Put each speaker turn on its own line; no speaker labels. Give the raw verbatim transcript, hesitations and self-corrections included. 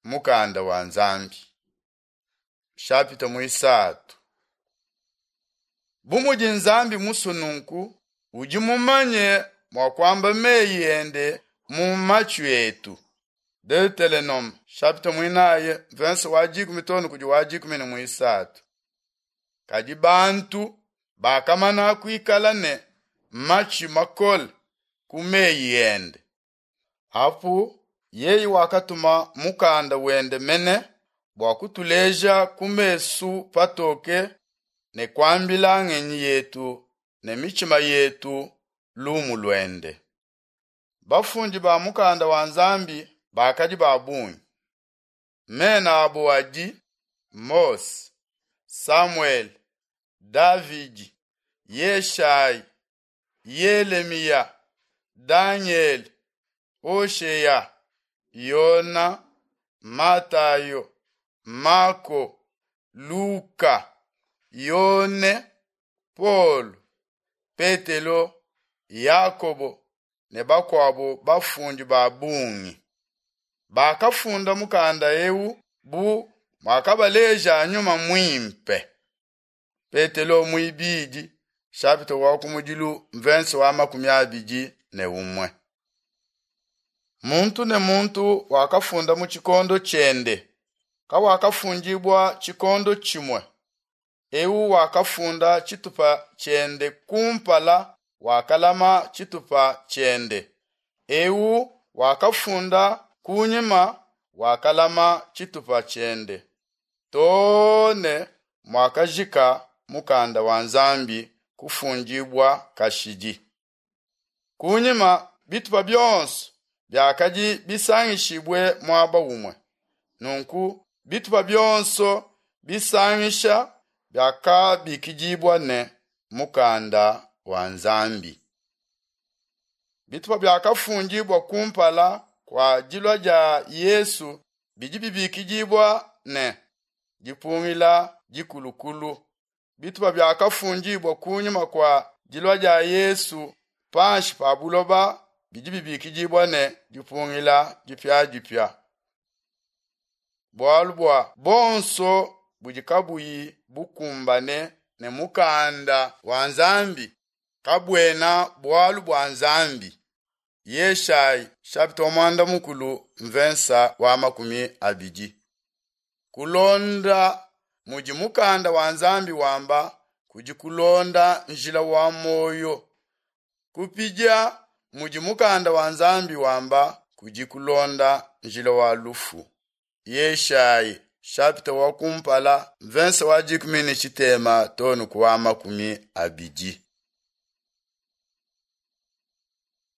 Mukanda wa Nzambi. Shapita muisatu. Bu mudi Nzambi musue nunku, udi mumanye mua kuamba meyi ende mu matshi etu. Deuteronome chapitre muinayi verse wa dikumi too ne kudi wa dikumi ne muisatu. Kadi bantu bakamana kuikala ne matshi makole ku meyi ende. Apu yeye wakatuma mukanda wende mene bua kutuleja ku mesu patoke ne kuambila ngenyi yetu ne mitshima yetu lumu luende. Bafundi ba mukanda wa Nzambi bakadi ba bungi. Mena abo adi Mose, Samuel, Davidi, Yeshayi, Yelemiya, Daniel, Hosheya, Yona, Matayo, Mako, Luka, Yone, Paul, Petelo, Yakobo ne bakuabo bafundi ba bungi. Bakafunda mukanda eu bu muakabaleja nyuma muimpe. Petelo muibidi chapitre wa kumudilu mvense wa makumi abidi ne umue. Muntu ne muntu wakafunda mu tshikondo tshiende, kawakafundibua tshikondo tshimue. Eu wakafunda tshitupa tshiende kumpala wakalama tshitupa tshiende. Eu wakafunda kunyima wakalama tshitupa tshiende. Too ne muakajika mukanda wa Nzambi kufundibua kashidi. Kunyima bitupa bionso biakadi bisangishibue muaba umue. Nunku bitupa bionso bisangisha biakabikidibua ne mukanda wa Nzambi. Bitupa biakafundibua kumpala kua dilua dia Yesu bidi bibikidibua ne dipungila dikulukulu. Bitupa biakafundibua kunyima kua dilua dia Yesu panshi pa buloba bidi bibikidibua ne dipungila dipiadipia. Bualu bua bonso budi kabuyi bukumbane ne mukanda wa Nzambi kabuena bualu bua Nzambi. Yeshayi chapitre mwanda mukulu mvensa wa makumi abidi. Kulonda mudi mukanda wa Nzambi wamba kudi kulonda njila wa moyo. Kupidia mudi mukanda wa Nzambi wamba kudi kulonda njila wa lufu. Yeshayi chapitre wa kumpala mvensa wa dikumi ne tshitema too ne ku wa makumi abidi.